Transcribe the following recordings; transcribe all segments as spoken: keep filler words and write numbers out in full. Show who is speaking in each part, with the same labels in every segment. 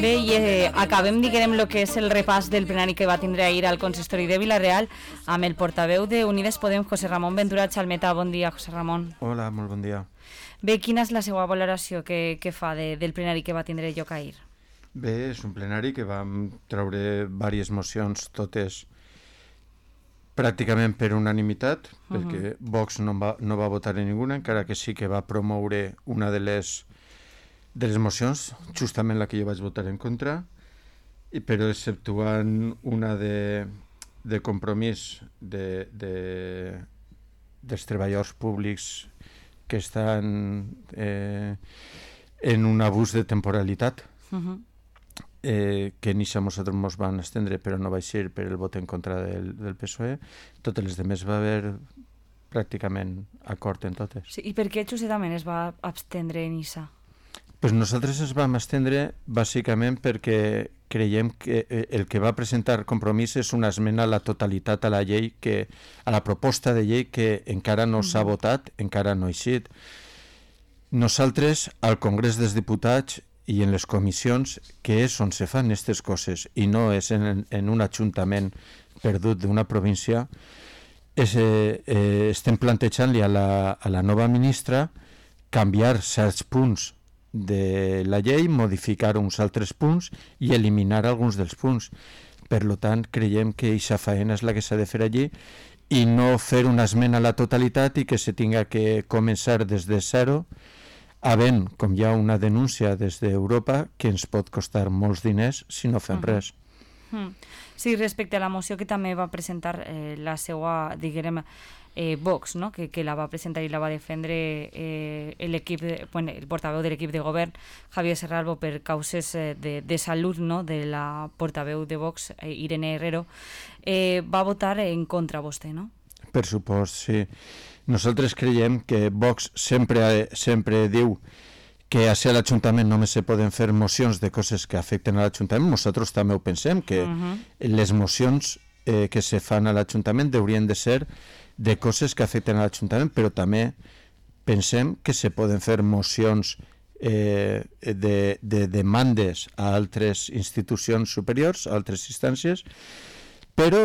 Speaker 1: Bé, i eh, acabem, diguem, el que és el repàs del plenari que va tindre ahir al consistori de Vila-real amb el portaveu de Unides Podem, José Ramón Ventura Chalmeta. Bon dia, José Ramón.
Speaker 2: Hola, molt bon dia.
Speaker 1: Bé, quina és la seva valoració que, que fa de, del plenari que va tindre lloc ahir?
Speaker 2: Bé, és un plenari que vam treure diverses mocions, totes pràcticament per unanimitat, uh-huh. perquè Vox no va, no va votar en ninguna, encara que sí que va promoure una de les, de les mocions, justament la que jo vaig votar en contra, i però exceptuant una de, de compromís de, de, dels treballadors públics que estan eh, en un abús de temporalitat, uh-huh. eh, que ni a nosaltres ens van estendre, però no va ser per el vot en contra del, del P S O E. Totes les demés va haver pràcticament acord en totes.
Speaker 1: Sí, i per què justament es va abstendre en Issa?
Speaker 2: Pues nosaltres ens vam estendre bàsicament perquè creiem que el que va presentar Compromís és una esmena a la totalitat a la llei, que, a la proposta de llei que encara no s'ha votat, encara no ha eixit. Nosaltres, al Congrés dels Diputats i en les comissions, que és on se fan aquestes coses, i no és en, en un ajuntament perdut d'una província, és, eh, eh, estem plantejant-li a la, a la nova ministra canviar certs punts de la llei, modificar uns altres punts i eliminar alguns dels punts. Per tant, creiem que aquesta feina és la que s'ha de fer allí i no fer una esmena a la totalitat i que se tinga que començar des de zero, havent, com hi ha una denúncia des d'Europa, que ens pot costar molts diners si no fem uh-huh. res.
Speaker 1: Uh-huh. Sí, respecte a la moció que també va presentar eh, la seva, diguem, Eh, Vox, no? que, que la va presentar i la va defendre eh, l'equip, de, bueno, el portaveu de l'equip de govern, Javier Serralbo, per causes eh, de, de salut, no? de la portaveu de Vox, eh, Irene Herrero, eh, va votar en contra vostè, no?
Speaker 2: Per supost, sí. Nosaltres creiem que Vox sempre, sempre diu que a ser l'Ajuntament només se poden fer mocions de coses que afecten a l'Ajuntament. Nosaltres també ho pensem, que uh-huh. les mocions eh, que se fan a l'Ajuntament haurien de ser de coses que afecten a l'Ajuntament, però també pensem que se poden fer mocions eh, de, de demandes a altres institucions superiors, a altres instàncies, però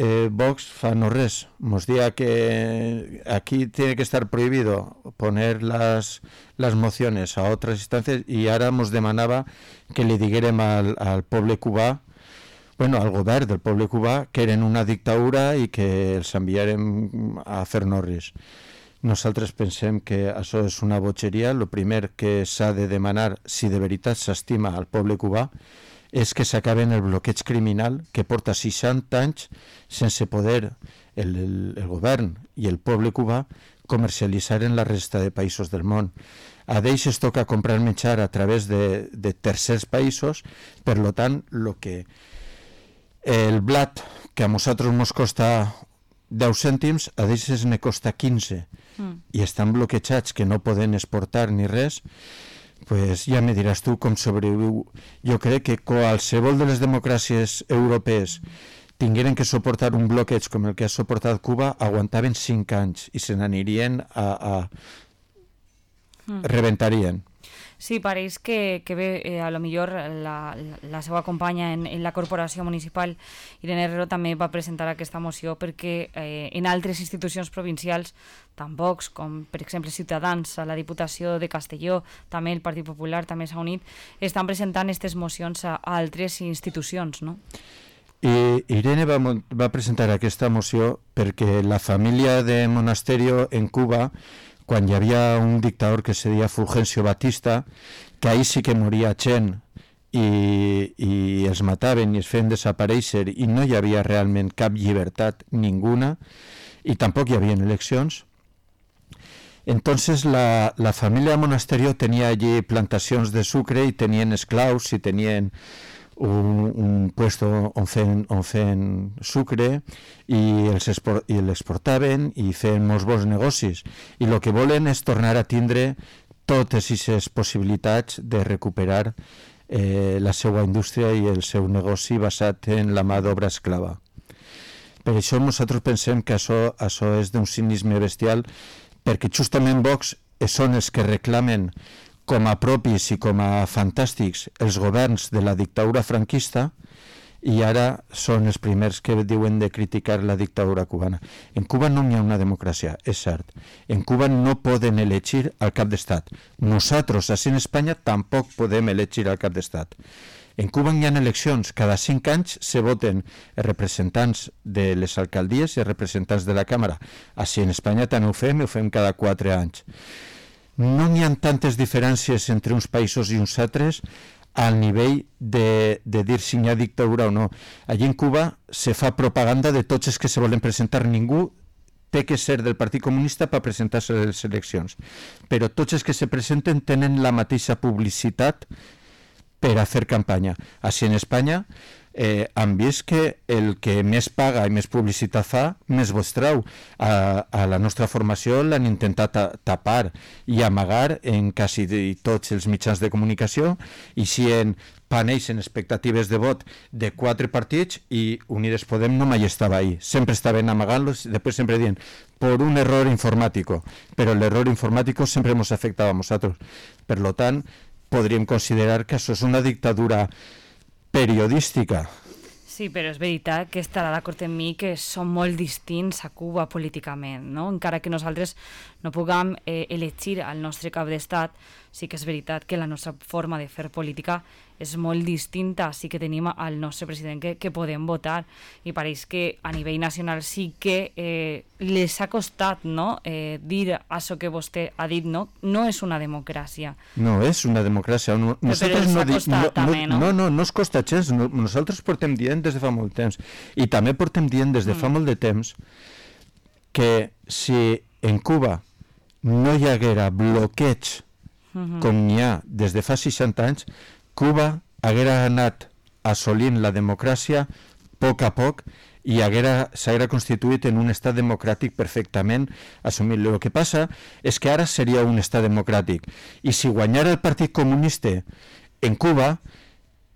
Speaker 2: eh, Vox fa no res. Mos dia que aquí tiene que estar prohibido poner las, las mociones a otras instancias i ara mos demanava que li diguérem al, al poble cubà, bueno, al govern del poble cubà, que eren una dictadura i que els enviarem a fer norris. Nosaltres pensem que això és una botxeria. El primer que s'ha de demanar, si de veritat s'estima al poble cubà, és que s'acaben el bloqueig criminal que porta seixanta anys sense poder el, el, el govern i el poble cubà comercialitzar en la resta de països del món. A d'ells es toca comprar menjar a través de, de tercers països, per tant, el que el blat, que a nosaltres ens costa deu cèntims, a d'ells ne costa quinze, mm. i estan bloquejats, que no poden exportar ni res, pues ja me diràs tu com sobreviu. Jo crec que qualsevol de les democràcies europees tingueren que suportar un bloqueig com el que ha suportat Cuba, aguantaven cinc anys i se n'anirien a... a... Mm. rebentarien.
Speaker 1: Sí, pareix que, que bé, eh, a lo millor la, la, la seva companya en, en la corporació municipal, Irene Herrero, també va presentar aquesta moció perquè eh, en altres institucions provincials, tant Vox com, per exemple, Ciutadans, a la Diputació de Castelló, també el Partit Popular també s'ha unit, estan presentant aquestes mocions a, a altres institucions, no?
Speaker 2: I Irene va, va presentar aquesta moció perquè la família de Monasterio en Cuba, quan hi havia un dictador que se deia Fulgencio Batista, que ahir sí que moria gent i, i els mataven i es feien desaparèixer i no hi havia realment cap llibertat ninguna i tampoc hi havia eleccions. Entonces la, la família Monasterio tenia allí plantacions de sucre i tenien esclaus i tenien un, un puesto on feien, on feien sucre i els esport, i l'exportaven i feien molts bons negocis, i el que volen és tornar a tindre totes aquestes possibilitats de recuperar eh, la seva indústria i el seu negoci basat en la mà d'obra esclava. Per això nosaltres pensem que això, això és d'un cinisme bestial, perquè justament Vox són els que reclamen com a propis i com a fantàstics els governs de la dictadura franquista, i ara són els primers que diuen de criticar la dictadura cubana. En Cuba no hi ha una democràcia, és cert. En Cuba no poden elegir el cap d'estat. Nosaltres, així en Espanya, tampoc podem elegir el cap d'estat. En Cuba hi ha eleccions, cada cinc anys se voten els representants de les alcaldies i els representants de la Càmera. Així en Espanya també ho fem, ho fem cada quatre anys. No hi ha tantes diferències entre uns països i uns altres al nivell de, de dir si hi ha dictadura o no. Allí en Cuba se fa propaganda de tots els que se volen presentar. Ningú té que ser del Partit Comunista per presentar-se a les eleccions. Però tots els que se presenten tenen la mateixa publicitat per a fer campanya. Així en Espanya eh, han vist que el que més paga i més publicitat fa, més vots trau. A, a la nostra formació l'han intentat a, tapar i amagar en quasi tots els mitjans de comunicació, i si en panells en expectatives de vot de quatre partits, i Unides Podem no mai estava ahí, sempre estaven amagant-los, després sempre dient por un error informático, però l'error informático sempre ens afectava a nosaltres. Per lo tant, podríem considerar que això és una dictadura periodística.
Speaker 1: Sí, però és veritat que estarà d'acord amb mi que som molt distints a Cuba políticament, no? Encara que nosaltres no puguem eh, elegir el nostre cap d'estat, sí que és veritat que la nostra forma de fer política és molt distinta, sí que tenim el nostre president que, que podem votar, i pareix que a nivell nacional sí que eh, les ha costat, no? eh, dir això que vostè ha dit, no? No és una democràcia.
Speaker 2: No és una democràcia. No,
Speaker 1: però els
Speaker 2: no,
Speaker 1: ha costat
Speaker 2: no,
Speaker 1: també, no?
Speaker 2: No, no, no es costa gens. No, nosaltres portem dient des de fa molt temps, i també portem dient des de fa mm. molt de temps que si en Cuba no hi haguera bloqueig mm-hmm. com n'hi ha des de fa seixanta anys, Cuba haguera anat assolint la democràcia a poc a poc i s'haguera constituït en un estat democràtic perfectament assumit. El que passa és que ara seria un estat democràtic, i si guanyara el Partit Comunista en Cuba,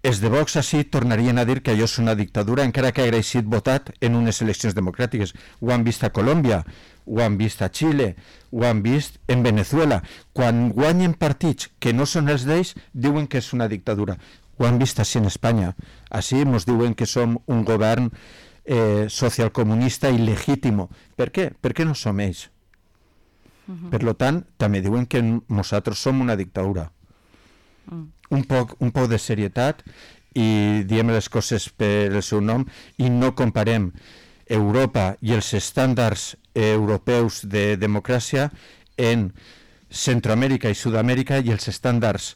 Speaker 2: els de Vox així tornarien a dir que allò és una dictadura, encara que hagués sigut votat en unes eleccions democràtiques. Ho han vist a Colòmbia, ho han vist a Xile, ho han vist en Venezuela. Quan guanyen partits que no són els d'ells, diuen que és una dictadura. Ho han vist així en Espanya. Així ens diuen que som un govern eh, socialcomunista il·legítimo. Per què? Perquè no som ells. Uh-huh. Per tant, també diuen que nosaltres som una dictadura. Uh-huh. Un poc, un poc de serietat i diem les coses per el seu nom, i no comparem Europa i els estàndards europeus de democràcia en Centroamèrica i Sud-amèrica i els estàndards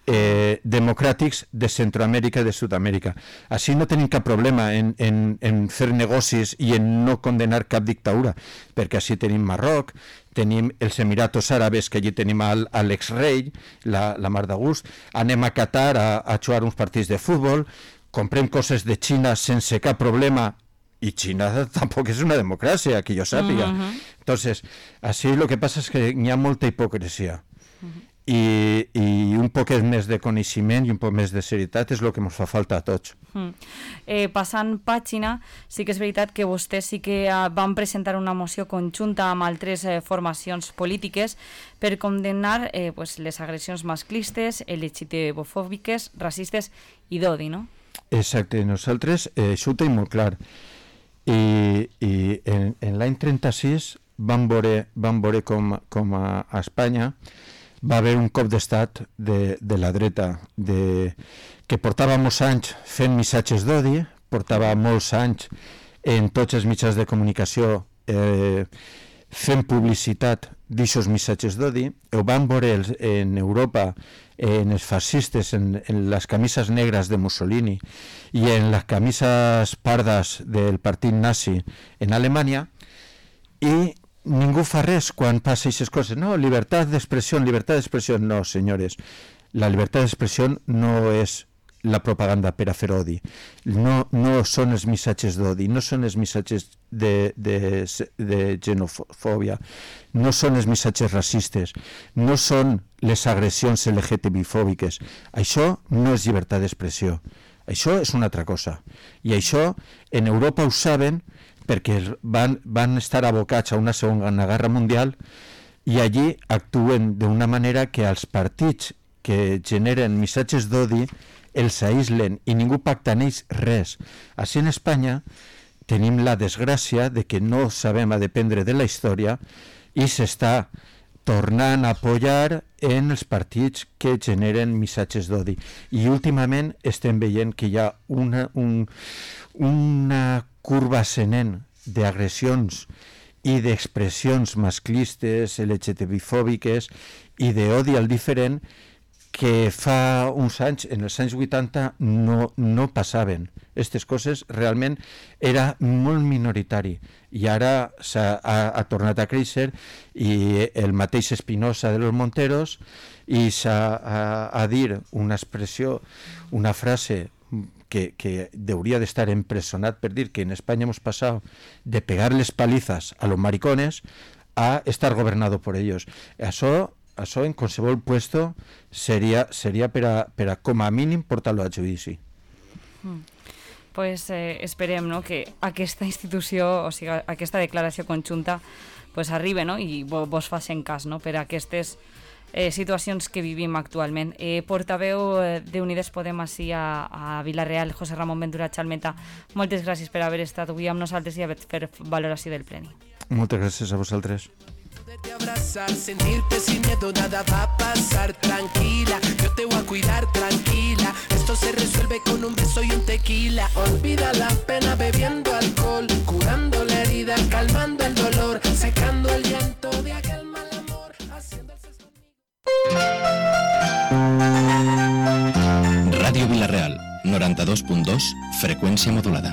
Speaker 2: eh, democràtics de Centroamèrica i de Sud-amèrica. Així no tenim cap problema en, en, en fer negocis i en no condenar cap dictadura, perquè així tenim Marroc, tenim els Emiratos Àrabes, que allí tenim al, a l'exrei, la, la mar de gust, anem a Qatar a, a jugar uns partits de futbol, comprem coses de Xina sense cap problema, y China tampoc és una democràcia, que jo sàpiga. Uh-huh. Entonces, així lo que passa és que hi ha molta hipocresia. Uh-huh. I, i un poc més de coneixement i un poc més de serietat és el que ens fa falta a tots.
Speaker 1: Uh-huh. Eh, passant pàgina, sí que és veritat que vostès sí que uh, van presentar una moció conjunta amb altres eh, formacions polítiques per condemnar eh, pues, les agressions masclistes, LGTB-fòbiques, racistes i d'odi, no?
Speaker 2: Exacte, nosaltres eh, això ho tenim molt clar. I, i en, en l'any trenta-sis vam veure, vam veure com, com a, a Espanya va haver un cop d'estat de, de la dreta de, que portava molts anys fent missatges d'odi, portava molts anys en tots els mitjans de comunicació eh, fent publicitat d'aixòs missatges d'odi. Ho van veure els, en Europa, en els fascistes, en, en les camises negres de Mussolini i en les camises pardes del partit nazi en Alemanya, i ningú fa res quan passa aquestes coses. No, llibertat d'expressió, llibertat d'expressió. No, senyores, la llibertat d'expressió no és la propaganda per a fer odi. No, no són els missatges d'odi, no són els missatges de, de, de xenofòbia, no són els missatges racistes, no són les agressions L G T B-fòbiques. Això no és llibertat d'expressió. Això és una altra cosa. I això en Europa ho saben perquè van, van estar abocats a una segona guerra mundial i allí actuen d'una manera que els partits que generen missatges d'odi els aïslen i ningú pacta en ells res. Així en Espanya tenim la desgràcia de que no sabem a dependre de la història i s'està tornant a apoyar en els partits que generen missatges d'odi. I últimament estem veient que hi ha una, un, una curva ascendent d'agressions i d'expressions masclistes, L G T B-fòbiques i d'odi al diferent que fa uns anys, en els anys vuitanta, no, no passaven. Aquestes coses realment era molt minoritari i ara s'ha, ha, ha tornat a créixer i el mateix Espinosa de los Monteros i s'ha a, a dir una expressió, una frase que, que hauria d'estar empresonat per dir que en Espanya hemos pasado de pegar les palizas a los maricones a estar gobernado por ellos. Això Això en qualsevol puesto seria, seria per, a, per a com a mínim portar-lo a judici.
Speaker 1: Mm. Pues eh, esperem, no?, que aquesta institució, o sigui, aquesta declaració conjunta pues arribe, no?, i vos, vos facin cas, no?, per a aquestes eh, situacions que vivim actualment. Eh, portaveu eh, d'Unides Podem així a, a Vila-real, José Ramon Ventura Chalmeta, moltes gràcies per haver estat avui amb nosaltres i haver fet valoració del pleni.
Speaker 2: Moltes gràcies a vosaltres.
Speaker 3: Poderte abrazar, sentirte sin miedo, nada va a pasar, tranquila, yo te voy a cuidar, tranquila, esto se resuelve con un beso y un tequila, olvida la pena bebiendo alcohol, curando la herida, calmando el dolor, secando el llanto de aquel mal amor, haciendo el sexo conmigo.
Speaker 4: Ràdio Vila-real, noranta-dos punt dos, freqüència modulada.